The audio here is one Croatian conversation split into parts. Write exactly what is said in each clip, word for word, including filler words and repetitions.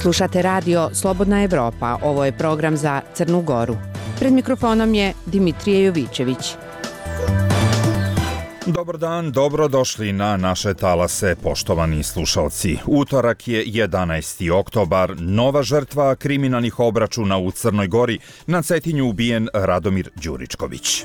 Slušate radio Slobodna Evropa, ovo je program za Crnu Goru. Pred mikrofonom je Dimitrije Jovićević. Dobar dan, dobrodošli na naše talase, poštovani slušalci. Utorak je jedanaesti oktobar, nova žrtva kriminalnih obračuna u Crnoj Gori, na Cetinju ubijen Radomir Đuričković.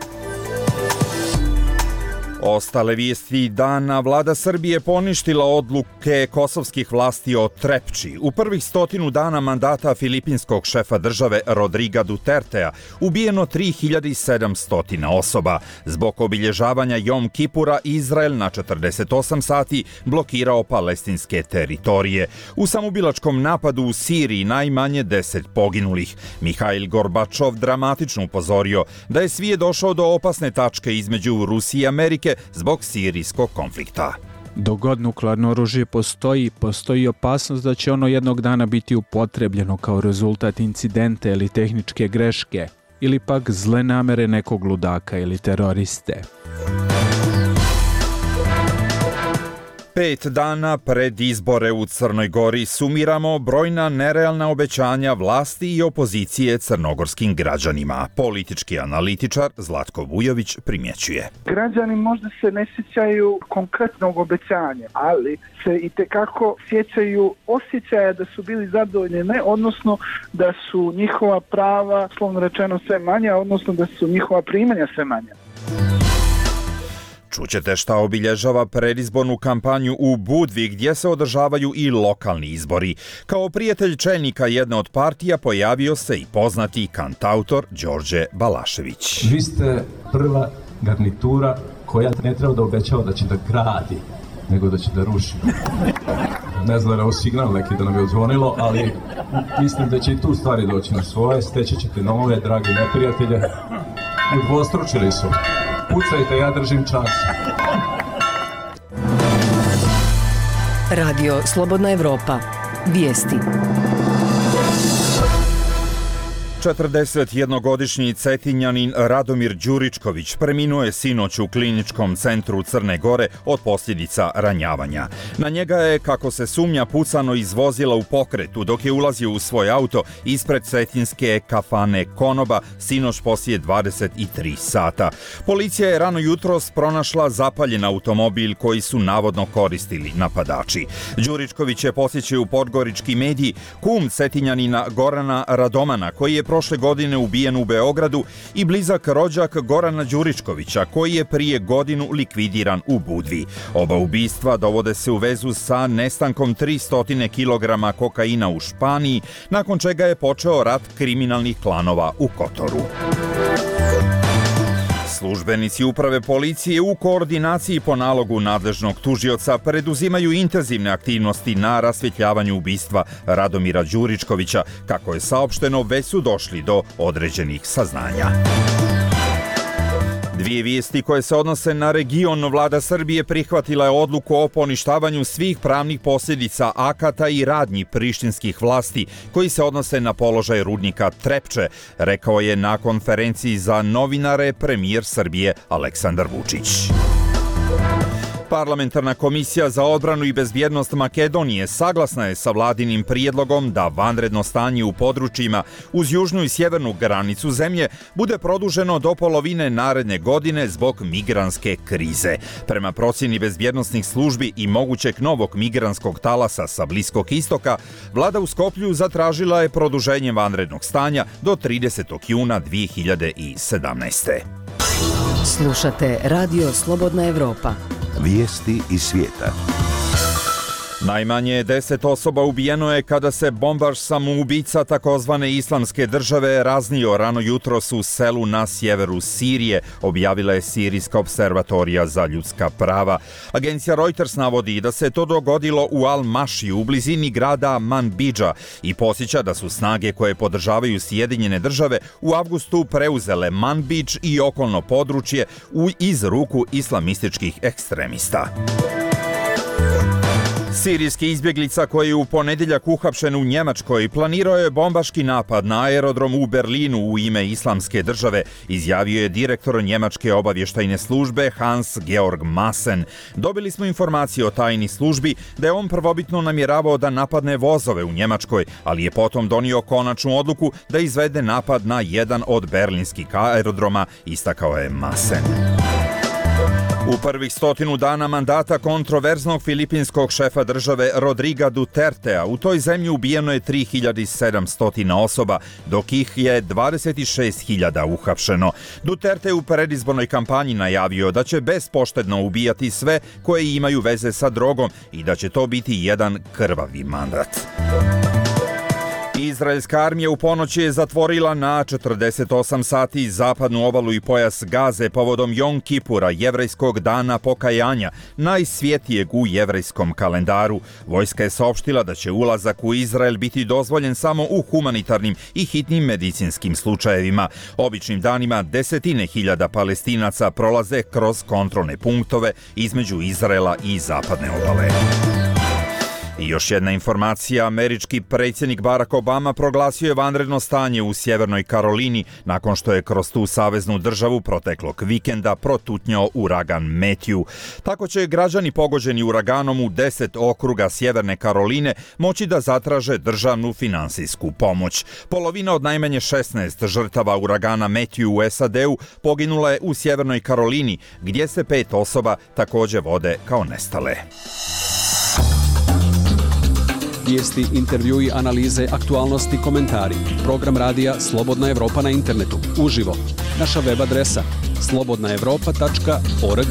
Ostale vijesti dana, vlada Srbije poništila odluke kosovskih vlasti o Trepči. U prvih stotinu dana mandata filipinskog šefa države Rodriga Dutertea ubijeno tri hiljade sedamsto osoba. Zbog obilježavanja Jom Kipura Izrael na četrdeset osam sati blokirao palestinske teritorije. U samoubilačkom napadu u Siriji najmanje deset poginulih. Mihail Gorbačov dramatično upozorio da je svijet došao do opasne tačke između Rusije i Amerike zbog sirijskog konflikta. Dok god nuklearno oružje postoji, postoji opasnost da će ono jednog dana biti upotrebljeno kao rezultat incidenta ili tehničke greške, ili pak zle namere nekog ludaka ili teroriste. Pet dana pred izbore u Crnoj Gori sumiramo brojna nerealna obećanja vlasti i opozicije crnogorskim građanima. Politički analitičar Zlatko Vujović primjećuje. Građani možda se ne sjećaju konkretnog obećanja, ali se itekako sjećaju osjećaja da su bili zadovoljni, ne, odnosno da su njihova prava, slovno rečeno, sve manja, odnosno da su njihova primanja sve manja. Čućete šta obilježava predizbornu kampanju u Budvi gdje se održavaju i lokalni izbori. Kao prijatelj čelnika jedne od partija pojavio se i poznati kantautor Đorđe Balašević. Vi ste prva garnitura koja ne treba da obećava da će da gradi, nego da će da ruši. Ne znam da je ovo signal neki da nam je odzvonilo, ali mislim da će i tu stvari doći na svoje. Steći ćete nove, dragi neprijatelje. Udvostručili su. Pucajte, ja držim čas. Radio Slobodna Evropa. Vijesti. četrdesetjednogodišnji Cetinjanin Radomir Đuričković preminuo je sinoć u kliničkom centru Crne Gore od posljedica ranjavanja. Na njega je, kako se sumnja, pucano iz vozila u pokretu dok je ulazio u svoj auto ispred cetinske kafane Konoba sinoć poslije dvadeset tri sata. Policija je rano jutros pronašla zapaljen automobil koji su navodno koristili napadači. Đuričković je posjećao u podgorički mediji kum Cetinjanina Gorana Radomana, koji je prošle godine ubijen u Beogradu, i blizak rođak Gorana Đuričkovića, koji je prije godinu likvidiran u Budvi. Oba ubistva dovode se u vezu sa nestankom tristo kilograma kokaina u Španiji, nakon čega je počeo rat kriminalnih klanova u Kotoru. Službenici uprave policije u koordinaciji po nalogu nadležnog tužioca preduzimaju intenzivne aktivnosti na rasvjetljavanju ubistva Radomira Đuričkovića. Kako je saopšteno, već su došli do određenih saznanja. Dvije vijesti koje se odnose na region. Vlada Srbije prihvatila je odluku o poništavanju svih pravnih posljedica akata i radnji prištinskih vlasti koji se odnose na položaj rudnika Trepče, rekao je na konferenciji za novinare premijer Srbije Aleksandar Vučić. Parlamentarna komisija za odbranu i bezbjednost Makedonije saglasna je sa vladinim prijedlogom da vanredno stanje u područjima uz južnu i sjevernu granicu zemlje bude produženo do polovine naredne godine zbog migrantske krize. Prema procjeni bezbjednosnih službi i mogućeg novog migrantskog talasa sa Bliskog istoka, vlada u Skoplju zatražila je produženje vanrednog stanja do tridesetog juna dvije hiljade sedamnaeste. Slušate Radio Slobodna Evropa. Vijesti iz svijeta. Najmanje deset osoba ubijeno je kada se bombaš samoubica takozvane Islamske države raznio rano jutros u selu na sjeveru Sirije, objavila je Sirijska observatorija za ljudska prava. Agencija Reuters navodi da se to dogodilo u Al-Mašiju u blizini grada Manbidža i podsjeća da su snage koje podržavaju Sjedinjene države u avgustu preuzele Manbidž i okolno područje iz ruku islamističkih ekstremista. Sirijski izbjeglica koji je u ponedjeljak uhapšen u Njemačkoj planirao je bombaški napad na aerodrom u Berlinu u ime Islamske države, izjavio je direktor njemačke obavještajne službe Hans-Georg Maassen. Dobili smo informacije o tajni službi da je on prvobitno namjeravao da napadne vozove u Njemačkoj, ali je potom donio konačnu odluku da izvede napad na jedan od berlinskih aerodroma, istakao je Maassen. U prvih stotinu dana mandata kontroverznog filipinskog šefa države Rodriga Dutertea u toj zemlji ubijeno je tri hiljade sedamsto osoba, dok ih je dvadeset šest hiljada uhapšeno. Duterte u predizbornoj kampanji najavio da će bespoštedno ubijati sve koje imaju veze sa drogom i da će to biti jedan krvavi mandat. Izraelska armija u ponoć je zatvorila na četrdeset osam sati zapadnu obalu i pojas Gaze povodom Jom Kipura, jevrejskog dana pokajanja, najsvjetijeg u jevrejskom kalendaru. Vojska je saopštila da će ulazak u Izrael biti dozvoljen samo u humanitarnim i hitnim medicinskim slučajevima. Običnim danima desetine hiljada Palestinaca prolaze kroz kontrolne punktove između Izraela i zapadne obale. I još jedna informacija, američki predsjednik Barack Obama proglasio je vanredno stanje u Sjevernoj Karolini nakon što je kroz tu saveznu državu proteklog vikenda protutnjao uragan Matthew. Tako će građani pogođeni uraganom u deset okruga Sjeverne Karoline moći da zatraže državnu finansijsku pomoć. Polovina od najmanje šesnaest žrtava uragana Matthew u S A D-u poginula je u Sjevernoj Karolini, gdje se pet osoba također vode kao nestale. Vijesti, intervjui, analize, aktualnosti, komentari. Program radija Slobodna Evropa na internetu. Uživo. Naša web adresa slobodna evropa tačka org.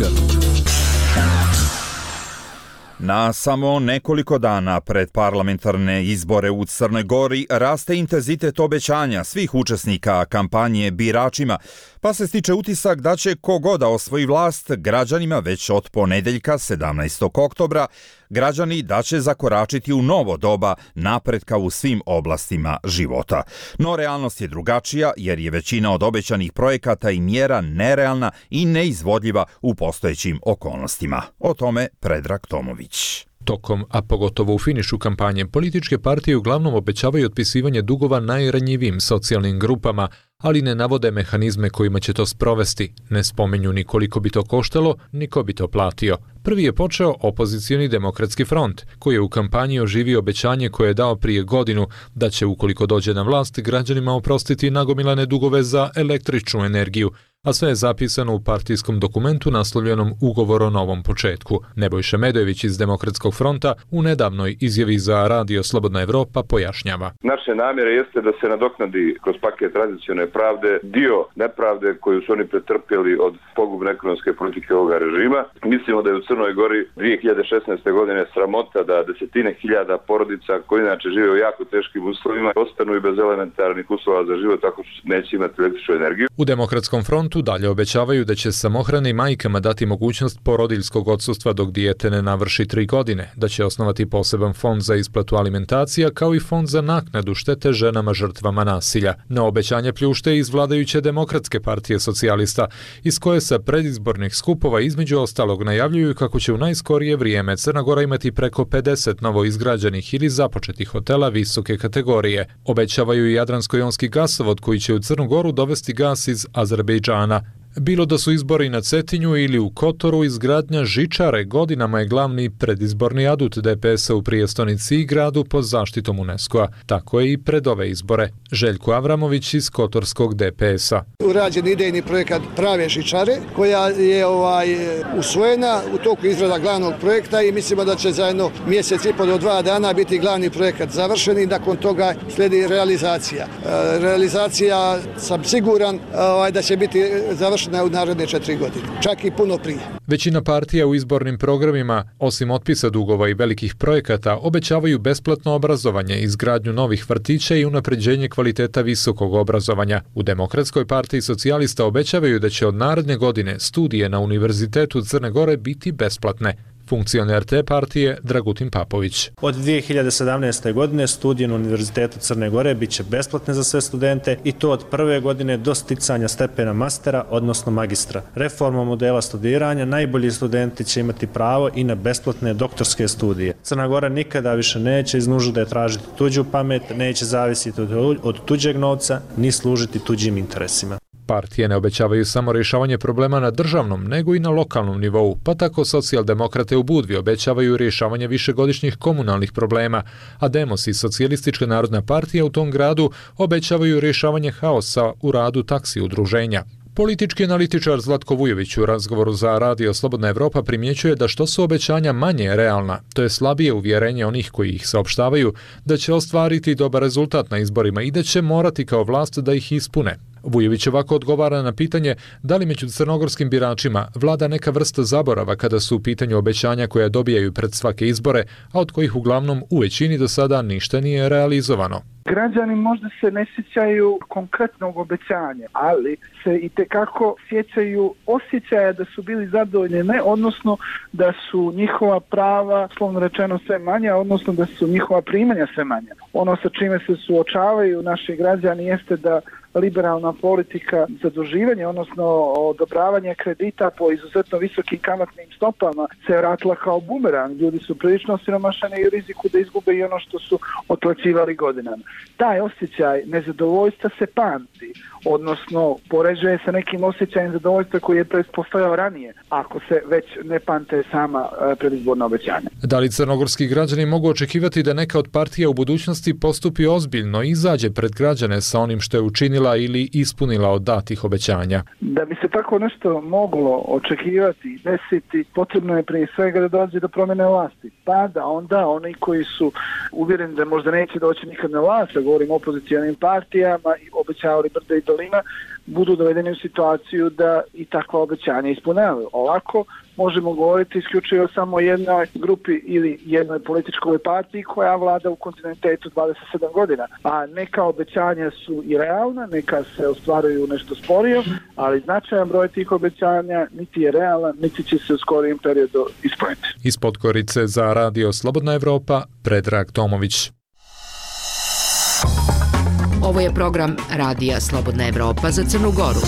Na samo nekoliko dana pred parlamentarne izbore u Crnoj Gori raste intenzitet obećanja svih učesnika kampanje biračima, pa se stiče utisak da će kogod da osvoji vlast građanima već od ponedjeljka sedamnaestog oktobra građani da će zakoračiti u novo doba napretka u svim oblastima života. No realnost je drugačija jer je većina od obećanih projekata i mjera nerealna i neizvodljiva u postojećim okolnostima. O tome Predrag Tomović. Tokom, a pogotovo u finišu kampanje, političke partije uglavnom obećavaju otpisivanje dugova najranjivijim socijalnim grupama, ali ne navode mehanizme kojima će to sprovesti. Ne spomenju ni koliko bi to koštalo, ni ko bi to platio. Prvi je počeo opozicioni Demokratski front, koji je u kampanji oživio obećanje koje je dao prije godinu da će, ukoliko dođe na vlast, građanima oprostiti nagomilane dugove za električnu energiju, a sve je zapisano u partijskom dokumentu naslovljenom Ugovor o novom početku. Nebojša Medojević iz Demokratskog fronta u nedavnoj izjavi za Radio Slobodna Evropa pojašnjava. Naše namjere jeste da se nadoknadi kroz paket tranzicione pravde dio nepravde koju su oni pretrpjeli od pogubne ekonomske politike ovoga režima. Mislimo da je u Crnoj Gori dvije hiljade šesnaeste. godine sramota da desetine hiljada porodica koji inače žive u jako teškim uslovima ostanu i bez elementarnih uslova za život tako što neće imati električnu energiju. U Demokratskom frontu dalje obećavaju da će samohranim majkama dati mogućnost porodiljskog odsustva dok dijete ne navrši tri godine, da će osnovati poseban fond za isplatu alimentacija kao i fond za naknadu štete ženama žrtvama nasilja. Na obećanje pljušte iz vladajuće Demokratske partije socijalista, iz koje sa predizbornih skupova između ostalog najavljuju kako će u najskorije vrijeme Crna Gora imati preko pedeset novo izgrađenih ili započetih hotela visoke kategorije. Obećavaju i Jadransko-jonski gasovod koji će u Crnu Goru dovesti gas iz Azerbejdžana. Bilo da su izbori na Cetinju ili u Kotoru, izgradnja žičare godinama je glavni predizborni adut D P S-a u prijestonici i gradu pod zaštitom UNESCO-a. Tako je i pred ove izbore. Željko Avramović iz Kotorskog D P S-a. Urađen idejni projekat prave žičare koja je ovaj usvojena u toku izrada glavnog projekta i mislimo da će zajedno mjesec i po do dva dana biti glavni projekat završen i nakon toga slijedi realizacija. E, realizacija sam siguran ovaj, da će biti završena u naredne četiri godine, čak i puno prije. Većina partija u izbornim programima, osim otpisa dugova i velikih projekata, obećavaju besplatno obrazovanje, izgradnju novih vrtića i unapređenje kvaliteta visokog obrazovanja. U Demokratskoj partiji socijalista obećavaju da će od naredne godine studije na Univerzitetu Crne Gore biti besplatne. Funkcioner te partije Dragutin Papović. Od dvije hiljade sedamnaeste. godine studije na Univerzitetu Crne Gore bit će besplatne za sve studente i to od prve godine do sticanja stepena mastera, odnosno magistra. Reformom modela studiranja najbolji studenti će imati pravo i na besplatne doktorske studije. Crna Gora nikada više neće iz nužde tražiti tuđu pamet, neće zavisiti od tuđeg novca ni služiti tuđim interesima. Partije ne obećavaju samo rješavanje problema na državnom, nego i na lokalnom nivou, pa tako socijaldemokrate u Budvi obećavaju rješavanje višegodišnjih komunalnih problema, a Demos i Socijalistička narodna partija u tom gradu obećavaju rješavanje haosa u radu taksi udruženja. Politički analitičar Zlatko Vujović u razgovoru za Radio Slobodna Evropa primjećuje da što su obećanja manje realna, to je slabije uvjerenje onih koji ih saopštavaju, da će ostvariti dobar rezultat na izborima i da će morati kao vlast da ih ispune. Vujović ovako odgovara na pitanje da li među crnogorskim biračima vlada neka vrsta zaborava kada su u pitanju obećanja koja dobijaju pred svake izbore, a od kojih uglavnom u većini do sada ništa nije realizovano. Građani možda se ne sjećaju konkretnog obećanja, ali se i tekako sjećaju osjećaja da su bili zadovoljni, ne, odnosno da su njihova prava, slovno rečeno, sve manja, odnosno da su njihova primanja sve manja. Ono sa čime se suočavaju naši građani jeste da liberalna politika zaduživanja, odnosno odobravanje kredita po izuzetno visokim kamatnim stopama se vratila kao bumerang. Ljudi su prilično siromašani i u riziku da izgube i ono što su otplaćivali godinama. Taj osjećaj nezadovoljstva se pamti, odnosno poređuje sa nekim osjećajem zadovoljstva koji je postojao ranije, ako se već ne pamte sama predizborna obećanja. Da li crnogorski građani mogu očekivati da neka od partija u budućnosti postupi ozbiljno i izađe pred građane sa onim što je učinila ili ispunila od datih obećanja? Da bi se tako nešto moglo očekivati i desiti, potrebno je prije svega da dođe do promjene vlasti. Pa da onda oni koji su uvjereni da možda neće doći nikad na vlast, govorim o opozicijalnim partijama i obećavali brda i dolina, budu dovedeni u situaciju da i takva obećanja ispunjavaju. Ovako možemo govoriti isključivo samo o jednoj grupi ili jednoj političkoj partiji koja vlada u kontinuitetu dvadeset sedam godina. A neka obećanja su i realna, neka se ostvaruju nešto sporije, ali značajan broj tih obećanja niti je realan, niti će se u skorijem periodu ispuniti. Iz Podgorice za Radio Slobodna Evropa, Predrag Tomović. Ovo je program Radija Slobodna Evropa za Crnu Goru.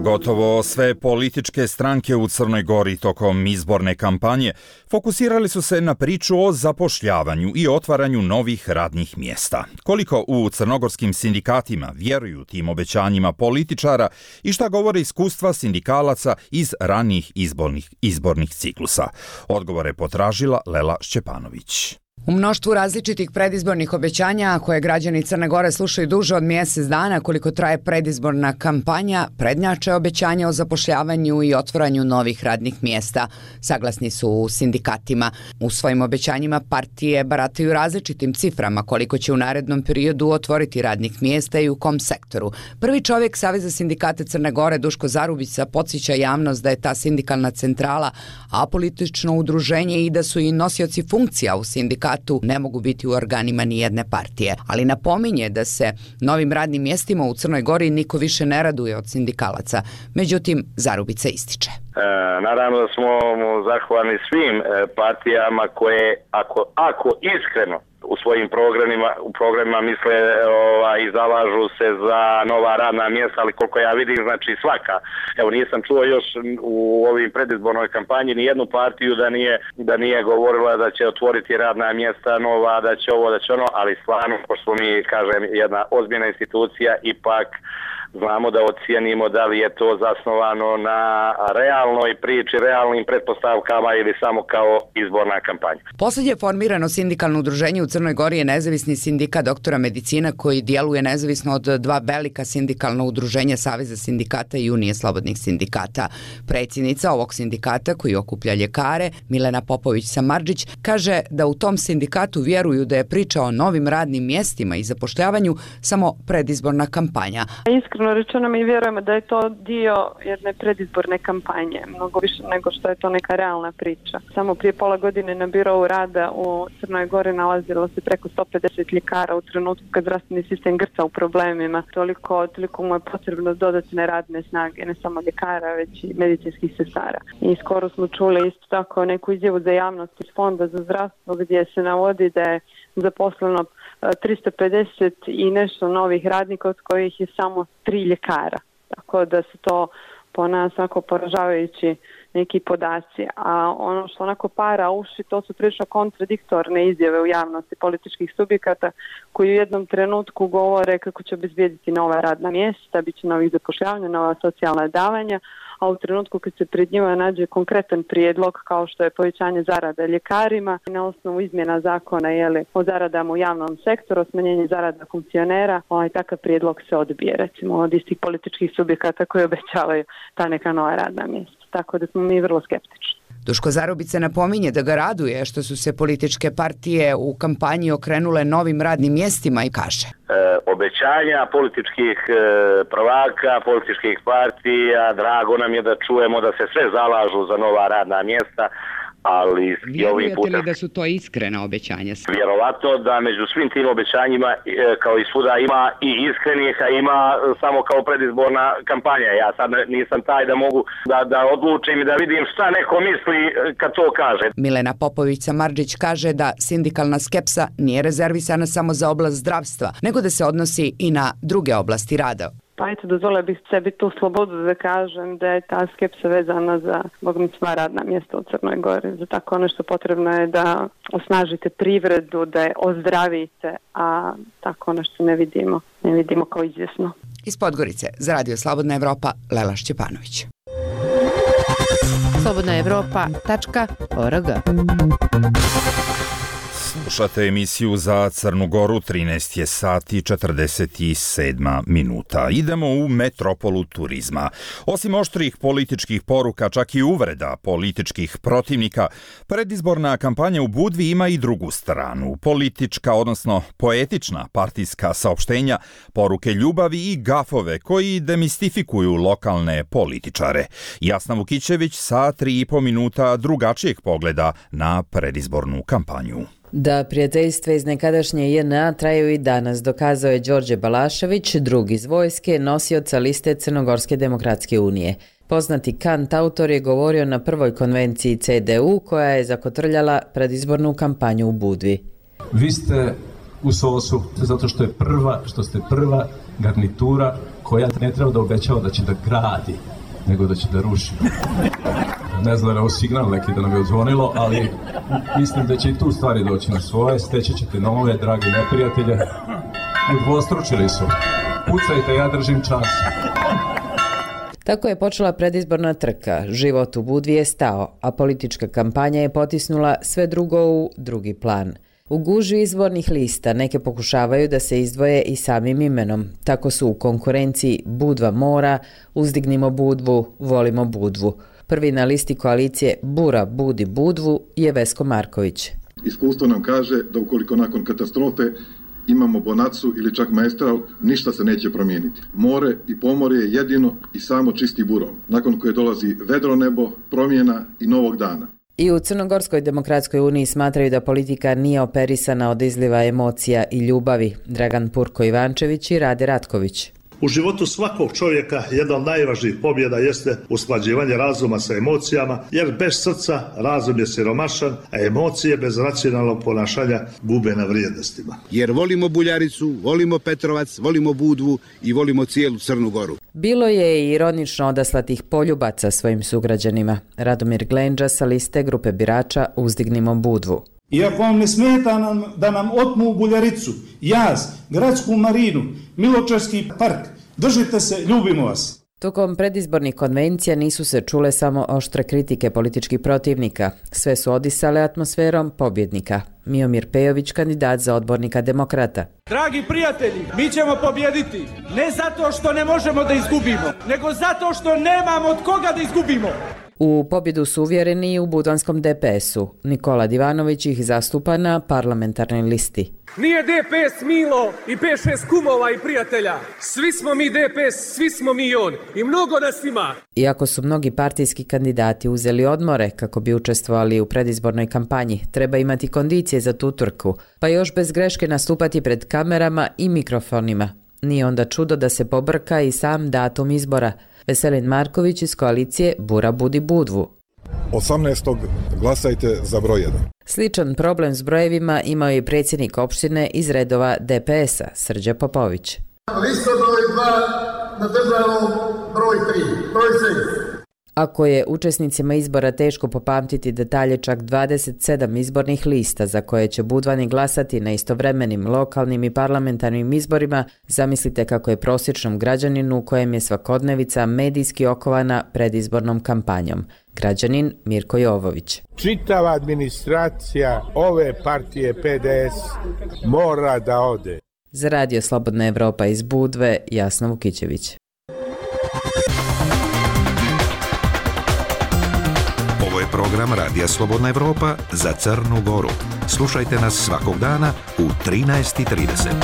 Gotovo sve političke stranke u Crnoj Gori tokom izborne kampanje fokusirali su se na priču o zapošljavanju i otvaranju novih radnih mjesta. Koliko u crnogorskim sindikatima vjeruju tim obećanjima političara i šta govore iskustva sindikalaca iz ranijih izbornih, izbornih ciklusa? Odgovore potražila Lela Šćepanović. U mnoštvu različitih predizbornih obećanja koje građani Crne Gore slušaju duže od mjesec dana koliko traje predizborna kampanja, prednjače obećanja o zapošljavanju i otvaranju novih radnih mjesta. Saglasni su u sindikatima. U svojim obećanjima partije barataju različitim ciframa koliko će u narednom periodu otvoriti radnih mjesta i u kom sektoru. Prvi čovjek Saveza sindikata Crne Gore, Duško Zarubica, podsjeća javnost da je ta sindikalna centrala apolitično udruženje i da su i nosioci funkcija u sindikatu ne mogu biti u organima ni jedne partije, ali napominje da se novim radnim mjestima u Crnoj Gori niko više ne raduje od sindikalaca. Međutim, Zarubica ističe. E, naravno da smo zahvalni svim e, partijama koje, ako, ako iskreno u svojim programima, u programima misle ovaj, i zalažu se za nova radna mjesta, ali koliko ja vidim, znači svaka. Evo, nisam čuo još u ovim predizbornoj kampanji ni jednu partiju da nije, da nije govorila da će otvoriti radna mjesta nova, da će ovo, da će ono, ali stvarno, pošto smo mi, kažem, jedna ozbiljna institucija, ipak znamo da ocijenimo da li je to zasnovano na realnoj priči, realnim pretpostavkama ili samo kao izborna kampanja. Posljednje formirano sindikalno udruženje u Crnoj Gori je nezavisni sindikat doktora medicina koji djeluje nezavisno od dva velika sindikalna udruženja Saveza sindikata i Unije slobodnih sindikata. Predsjednica ovog sindikata koji okuplja ljekare, Milena Popović-Samardžić, kaže da u tom sindikatu vjeruju da je priča o novim radnim mjestima i zapošljavanju samo predizborna kampanja. Iskreno rečeno mi vjerujemo da je to dio jedne predizborne kampanje, mnogo više nego što je to neka realna priča. Samo prije pola godine na birovu rada u Crnoj Gori nalazilo se preko sto pedeset ljekara u trenutku kad zdravstveni sistem grca u problemima. Toliko, toliko mu je potrebno dodatne radne snage, ne samo ljekara, već i medicinskih sestara. I skoro smo čuli isto tako neku izjavu za javnost iz Fonda za zdravstvo gdje se navodi da je zaposleno tristo pedeset i nešto novih radnika od kojih je samo tri ljekara. Tako da su to po nas onako poražavajući neki podaci. A ono što onako para uši, to su prilično kontradiktorne izjave u javnosti političkih subjekata koji u jednom trenutku govore kako će obezbijediti nova radna mjesta, bit će novih zapošljavanja, nova socijalna davanja, a u trenutku kad se pred njima nađe konkretan prijedlog kao što je povećanje zarada ljekarima na osnovu izmjena zakona jeli, o zaradama u javnom sektoru, smanjenje zarada funkcionera, ovaj takav prijedlog se odbije recimo od istih političkih subjekata koji obećavaju ta neka nova radna mjesta. Tako da smo mi vrlo skeptični. Duško Zarubica napominje da ga raduje što su se političke partije u kampanji okrenule novim radnim mjestima i kaže. E, obećanja političkih e, prvaka, političkih partija, drago nam je da čujemo da se sve zalažu za nova radna mjesta, ali vjerujete putem, li da su to iskrena obećanja? Vjerovatno da među svim tim obećanjima kao i svuda ima i iskrenih, a ima samo kao predizborna kampanja. Ja sad nisam taj da mogu da, da odlučim i da vidim šta neko misli kad to kaže. Milena Popović-Samardžić kaže da sindikalna skepsa nije rezervisana samo za oblast zdravstva, nego da se odnosi i na druge oblasti rada. Pa eto, dozvolila bih sebi tu slobodu da kažem da je ta skepsa vezana za bogmi sva radna mjesta u Crnoj Gori. Za tako nešto potrebno je da osnažite privredu, da je ozdravite, a tako nešto ne vidimo, ne vidimo kao izvjesno. Iz Podgorice, za Radio Slobodna Evropa, Lela Šćepanović. slobodna evropa tačka org. Slušate emisiju za Crnu Goru, trinaest je sati četrdeset sedam minuta. Idemo u metropolu turizma. Osim oštrih političkih poruka, čak i uvreda političkih protivnika, predizborna kampanja u Budvi ima i drugu stranu. Politička, odnosno poetična partijska saopštenja, poruke ljubavi i gafove koji demistifikuju lokalne političare. Jasna Vukićević sa tri i po minuta drugačijeg pogleda na predizbornu kampanju. Da prijateljstva iz nekadašnje J N A traju i danas, dokazao je Đorđe Balašević, drug iz vojske, nosioca liste Crnogorske demokratske unije. Poznati kantautor je govorio na prvoj konvenciji C D U koja je zakotrljala predizbornu kampanju u Budvi. Vi ste u S O S-u zato što je prva, što ste prva garnitura koja ne treba da obećava da će da gradi, nego da će da ruši. Ne znam da je ovo signal neki da nam je odzvonilo, ali mislim da će i tu stvari doći na svoje. Steći ćete nove, dragi neprijatelje. Udvostručili su. Pucajte, ja držim čas. Tako je počela predizborna trka. Život u Budvi je stao, a politička kampanja je potisnula sve drugo u drugi plan. U gužvi izbornih lista neke pokušavaju da se izdvoje i samim imenom. Tako su u konkurenciji Budva mora, Uzdignimo Budvu, Volimo Budvu. Prvi na listi koalicije Bura budi Budvu je Vesko Marković. Iskustvo nam kaže da ukoliko nakon katastrofe imamo bonacu ili čak maestral, ništa se neće promijeniti. More i pomorje je jedino i samo čisti burom, nakon koje dolazi vedro nebo, promjena i novog dana. I u Crnogorskoj demokratskoj uniji smatraju da politika nije operisana od izliva emocija i ljubavi. Dragan Purko-Ivančević i Rade Ratković. U životu svakog čovjeka jedna od najvažnijih pobjeda jeste usklađivanje razuma sa emocijama, jer bez srca razum je siromašan, a emocije bez racionalnog ponašanja gube na vrijednostima. Jer volimo Buljaricu, volimo Petrovac, volimo Budvu i volimo cijelu Crnu Goru. Bilo je i ironično odaslatih poljubaca svojim sugrađanima. Radomir Glenđa sa liste grupe birača Uzdignimo Budvu. Iako vam ne smeta nam, da nam otmu Buljaricu, Jaz, Gradsku marinu, Miločarski park, držite se, ljubimo vas. Tokom predizbornih konvencija nisu se čule samo oštre kritike političkih protivnika. Sve su odisale atmosferom pobjednika. Miomir Pejović, kandidat za odbornika Demokrata. Dragi prijatelji, mi ćemo pobjediti. Ne zato što ne možemo da izgubimo, nego zato što nemamo od koga da izgubimo. U pobjedu su uvjereni i u budvanskom D P S-u. Nikola Divanović ih zastupa na parlamentarnoj listi. Nije D P S Milo i pet šest kumova i prijatelja. Svi smo mi D P S, svi smo mi on i mnogo nas ima. Iako su mnogi partijski kandidati uzeli odmore kako bi učestvovali u predizbornoj kampanji, treba imati kondicije za tu trku, pa još bez greške nastupati pred kamerama i mikrofonima. Nije onda čudo da se pobrka i sam datum izbora. Veselin Marković iz koalicije Bura budi Budvu. osamnaestog glasajte za broj jedan. Sličan problem s brojevima imao je i predsjednik opštine iz redova D P S-a, Srđa Popović. Lista broj dva na državnom broj tri, broj šest. Ako je učesnicima izbora teško popamtiti detalje čak dvadeset sedam izbornih lista za koje će Budvani glasati na istovremenim lokalnim i parlamentarnim izborima, zamislite kako je prosječnom građaninu u kojem je svakodnevica medijski okovana predizbornom kampanjom. Građanin Mirko Jovović. Čitava administracija ove partije P D S mora da ode. Za Radio Slobodna Evropa iz Budve, Jasna Vukićević. Ovo je program Radija Slobodna Evropa za Crnu Goru. Slušajte nas svakog dana u trinaest i trideset.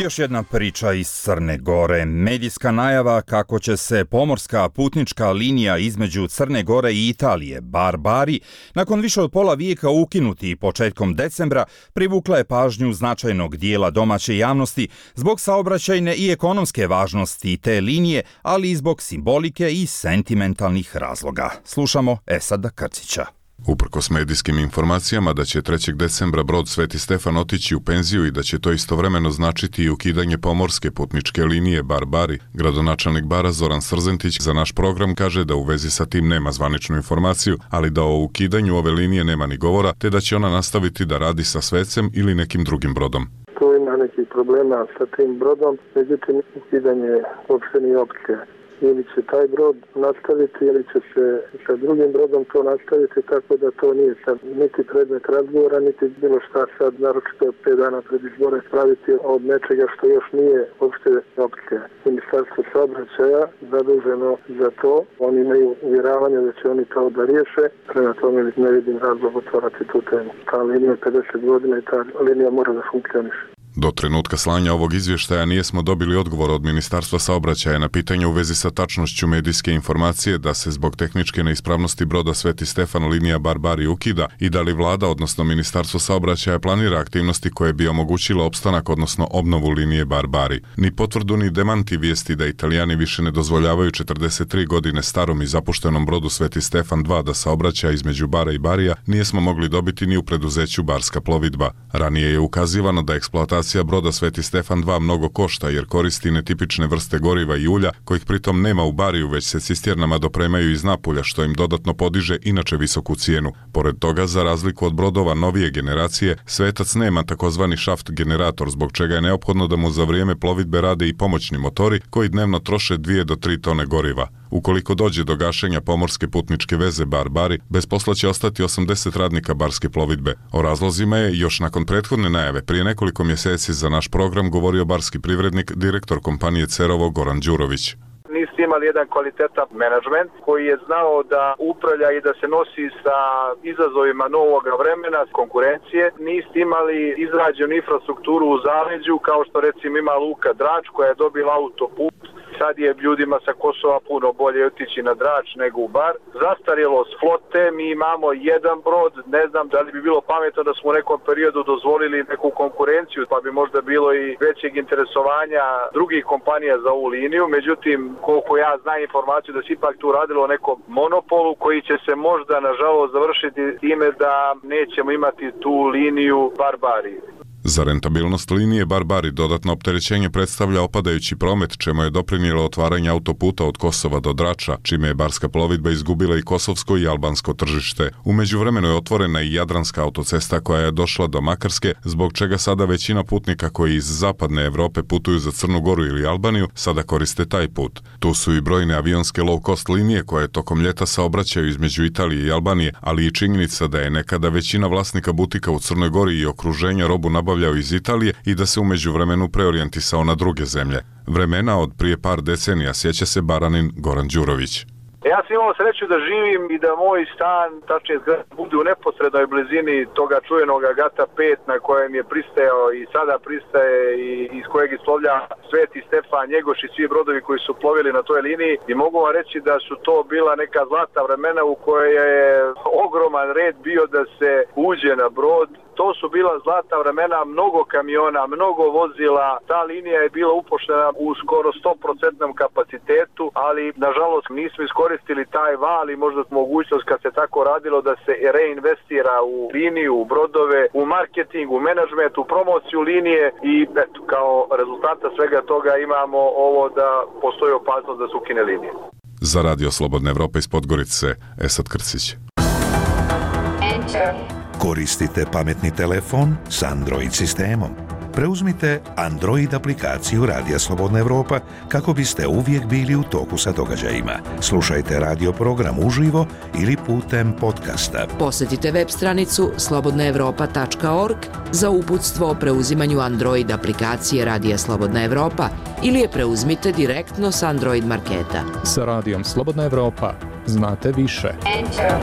Još jedna priča iz Crne Gore. Medijska najava kako će se pomorska putnička linija između Crne Gore i Italije, Barbari, nakon više od pola vijeka ukinuti početkom decembra, privukla je pažnju značajnog dijela domaće javnosti zbog saobraćajne i ekonomske važnosti te linije, ali i zbog simbolike i sentimentalnih razloga. Slušamo Esada Krcića. Uprkos medijskim informacijama da će trećeg decembra brod Sveti Stefan otići u penziju i da će to istovremeno značiti i ukidanje pomorske putničke linije Barbari, gradonačelnik Bara Zoran Srzentić za naš program kaže da u vezi sa tim nema zvaničnu informaciju, ali da o ukidanju ove linije nema ni govora, te da će ona nastaviti da radi sa Svecem ili nekim drugim brodom. Tu ima nekih problema sa tim brodom, međutim ukidanje uopšte nije opcija. Ili će taj brod nastaviti ili će se sa drugim brodom to nastaviti, tako da to nije sad niti predmet razgovora, niti bilo šta sad, naročito pet dana pred izbore, praviti od nečega što još nije uopšte opcija. Ministarstvo saobraćaja zaduženo za to, oni imaju uvjeravanje da će oni to da riješe, prema tome ne vidim razlog otvorati tu temu. Ta linija je pedeset godina i ta linija mora da funkcioniše. Do trenutka slanja ovog izvještaja nijesmo dobili odgovor od Ministarstva saobraćaja na pitanje u vezi sa tačnošću medijske informacije da se zbog tehničke neispravnosti broda Sveti Stefan linija Barbari ukida i da li vlada, odnosno Ministarstvo saobraćaja, planira aktivnosti koje bi omogućile opstanak, odnosno obnovu linije Barbari. Ni potvrdu ni demanti vijesti da Italijani više ne dozvoljavaju četrdeset tri godine starom i zapuštenom brodu Sveti Stefan dva da saobraća između Bara i Barija nijesmo mogli dobiti ni u preduzeću Barska plovidba. Ranije je ukazivano da eksploatacija broda Sveti Stefan dva mnogo košta jer koristi netipične vrste goriva i ulja, kojih pritom nema u Bariju, već se cisternama dopremaju iz Napulja, što im dodatno podiže inače visoku cijenu. Pored toga, za razliku od brodova novije generacije, Svetac nema takozvani šaft generator, zbog čega je neophodno da mu za vrijeme plovidbe rade i pomoćni motori koji dnevno troše dvije do tri tone goriva. Ukoliko dođe do gašenja pomorske putničke veze Barbari, bez posla će ostati osamdeset radnika Barske plovidbe. O razlozima je, još nakon prethodne najave, prije nekoliko mjeseci za naš program govorio barski privrednik, direktor kompanije Cerovo Goran Đurović. Niste imali jedan kvalitetan menadžment koji je znao da upravlja i da se nosi sa izazovima novog vremena, konkurencije. Niste imali izrađenu infrastrukturu u zaleđu kao što recimo ima Luka Drač koja je dobila autoput. Sad je ljudima sa Kosova puno bolje otići na Drač nego u Bar. Zastarjelost flote, mi imamo jedan brod, ne znam da li bi bilo pametno da smo u nekom periodu dozvolili neku konkurenciju, pa bi možda bilo i većeg interesovanja drugih kompanija za ovu liniju. Međutim, koliko ja znam informaciju da se ipak tu radilo o nekom monopolu koji će se možda nažalost završiti time da nećemo imati tu liniju Barbari. Za rentabilnost linije Barbari dodatno opterećenje predstavlja opadajući promet, čemu je doprinijelo otvaranje autoputa od Kosova do Drača, čime je Barska plovidba izgubila i kosovsko i albansko tržište. U međuvremenu je otvorena i Jadranska autocesta koja je došla do Makarske, zbog čega sada većina putnika koji iz zapadne Evrope putuju za Crnu Goru ili Albaniju sada koriste taj put. Tu su i brojne avionske low cost linije koje tokom ljeta saobraćaju između Italije i Albanije, ali i činjenica da je nekada većina vlasnika butika u Crnoj Gori i okruženja robu nabavljaju obavljao iz Italije i da se u međuvremenu preorijentisao na druge zemlje. Vremena od prije par decenija sjeća se Baranin Goran Đurović. Ja sam imao sreću da živim i da moj stan, tačnije zgrada, bude u neposrednoj blizini toga čuvenog Agata pet na kojem je pristajao i sada pristaje i iz kojeg islovlja Sveti Stefan, Njegoš i svi brodovi koji su plovili na toj liniji i mogu vam reći da su to bila neka zlata vremena u kojoj je ogroman red bio da se uđe na brod. To su bila zlata vremena, mnogo kamiona, mnogo vozila, ta linija je bila upoštena u skoro sto posto kapacitetu, ali nažalost nismo iskoristili taj val i možda mogućnost kad se tako radilo da se reinvestira u liniju, u brodove, u marketing, u menadžment, u promociju linije i eto, kao rezultata svega toga imamo ovo da postoji opasnost da se ukine linije. Za Radio Slobodna Evropa iz Podgorice, Esad Krsić. Enter. Koristite pametni telefon s Android sistemom. Preuzmite Android aplikaciju Radija Slobodna Evropa kako biste uvijek bili u toku sa događajima. Slušajte radio program uživo ili putem podcasta. Posjetite web stranicu slobodna evropa tačka org za uputstvo o preuzimanju Android aplikacije Radija Slobodna Evropa ili je preuzmite direktno s Android marketa. Sa Radijom Slobodna Evropa znate više. Enter.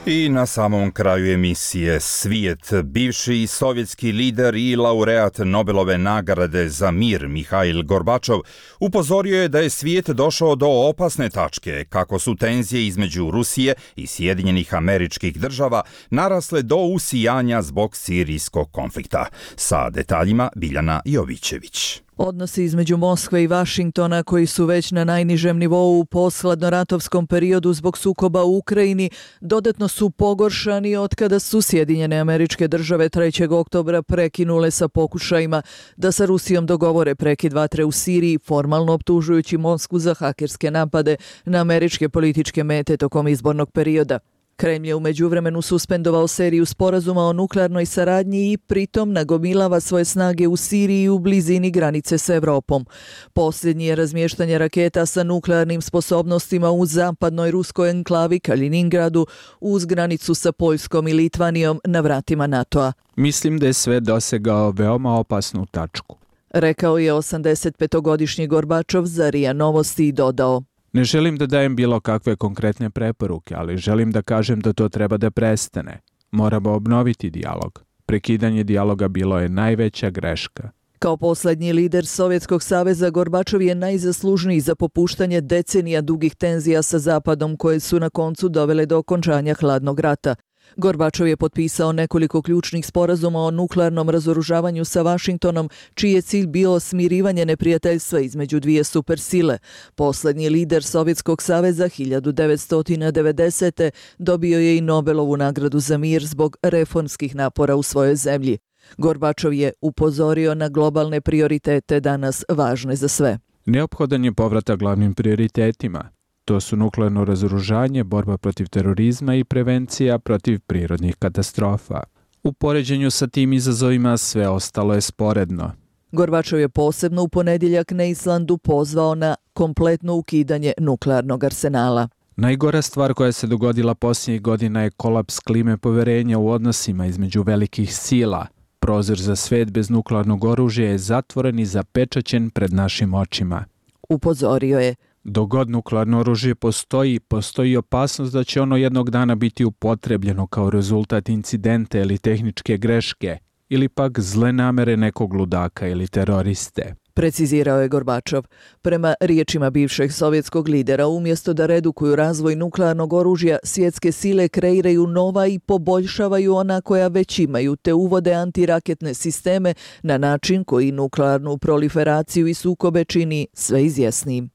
I na samom kraju emisije Svijet, bivši sovjetski lider i laureat Nobelove nagrade za mir Mihail Gorbačov upozorio je da je svijet došao do opasne tačke kako su tenzije između Rusije i Sjedinjenih Američkih Država narasle do usijanja zbog sirijskog konflikta. Sa detaljima Biljana Jovićević. Odnosi između Moskve i Vašingtona, koji su već na najnižem nivou u posthladnoratovskom periodu zbog sukoba u Ukrajini, dodatno su pogoršani otkada su Sjedinjene Američke Države trećeg oktobra prekinule sa pokušajima da sa Rusijom dogovore prekid vatre u Siriji, formalno optužujući Moskvu za hakerske napade na američke političke mete tokom izbornog perioda. Kremlj je u međuvremenu suspendovao seriju sporazuma o nuklearnoj saradnji i pritom nagomilava svoje snage u Siriji u blizini granice s Evropom. Posljednji je razmještanje raketa sa nuklearnim sposobnostima u zapadnoj ruskoj enklavi Kaliningradu uz granicu sa Poljskom i Litvanijom na vratima NATO-a. Mislim da je sve dosegao veoma opasnu tačku, rekao je osamdesetpetogodišnji Gorbačov za R I A Novosti i dodao: Ne želim da dajem bilo kakve konkretne preporuke, ali želim da kažem da to treba da prestane. Moramo obnoviti dijalog. Prekidanje dijaloga bilo je najveća greška. Kao poslednji lider Sovjetskog saveza, Gorbačov je najzaslužniji za popuštanje decenija dugih tenzija sa Zapadom koje su na koncu dovele do okončanja hladnog rata. Gorbačov je potpisao nekoliko ključnih sporazuma o nuklearnom razoružavanju sa Vašingtonom, čiji je cilj bio smirivanje neprijateljstva između dvije supersile. Poslednji lider Sovjetskog saveza hiljadu devetsto devedesete. dobio je i Nobelovu nagradu za mir zbog reformskih napora u svojoj zemlji. Gorbačov je upozorio na globalne prioritete danas važne za sve. Neophodan je povratak glavnim prioritetima. To su nuklearno razoružanje, borba protiv terorizma i prevencija protiv prirodnih katastrofa. U poređenju sa tim izazovima sve ostalo je sporedno. Gorbačov je posebno u ponedjeljak na Islandu pozvao na kompletno ukidanje nuklearnog arsenala. Najgora stvar koja se dogodila posljednjih godina je kolaps klime poverenja u odnosima između velikih sila. Prozor za svet bez nuklearnog oružja je zatvoren i zapečaćen pred našim očima. Upozorio je: Dok god nuklearno oružje postoji, postoji opasnost da će ono jednog dana biti upotrebljeno kao rezultat incidenta ili tehničke greške, ili pak zle namere nekog ludaka ili teroriste. Precizirao je Gorbačov. Prema riječima bivšeg sovjetskog lidera, umjesto da redukuju razvoj nuklearnog oružja, svjetske sile kreiraju nova i poboljšavaju ona koja već imaju, te uvode antiraketne sisteme na način koji nuklearnu proliferaciju i sukobe čini sve izvjesnijim.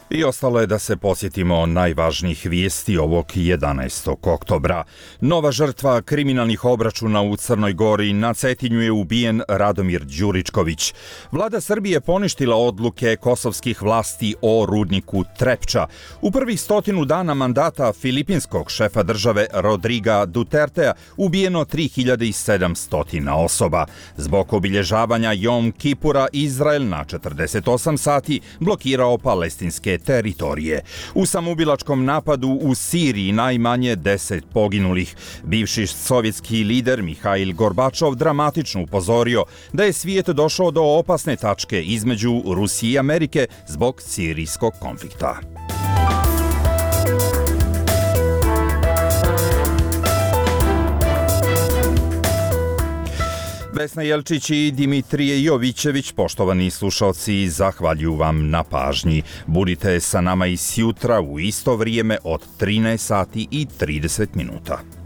I ostalo je da se podsjetimo najvažnijih vijesti ovog jedanaestog oktobra. Nova žrtva kriminalnih obračuna u Crnoj Gori. Na Cetinju je ubijen Radomir Đuričković. Vlada Srbije poništila odluke kosovskih vlasti o rudniku Trepča. U prvih stotinu dana mandata filipinskog šefa države Rodriga Dutertea ubijeno tri hiljade sedamsto osoba. Zbog obilježavanja Jom Kipura Izrael na četrdeset osam sati blokirao palestinske teritorije. U samoubilačkom napadu u Siriji najmanje deset poginulih. Bivši sovjetski lider Mihail Gorbačov dramatično upozorio da je svijet došao do opasne tačke između Rusije i Amerike zbog sirijskog konflikta. Vesna Jelčić i Dimitrije Jovićević, poštovani slušalci, zahvaljuju vam na pažnji. Budite sa nama i sjutra u isto vrijeme od trinaest sati i trideset minuta.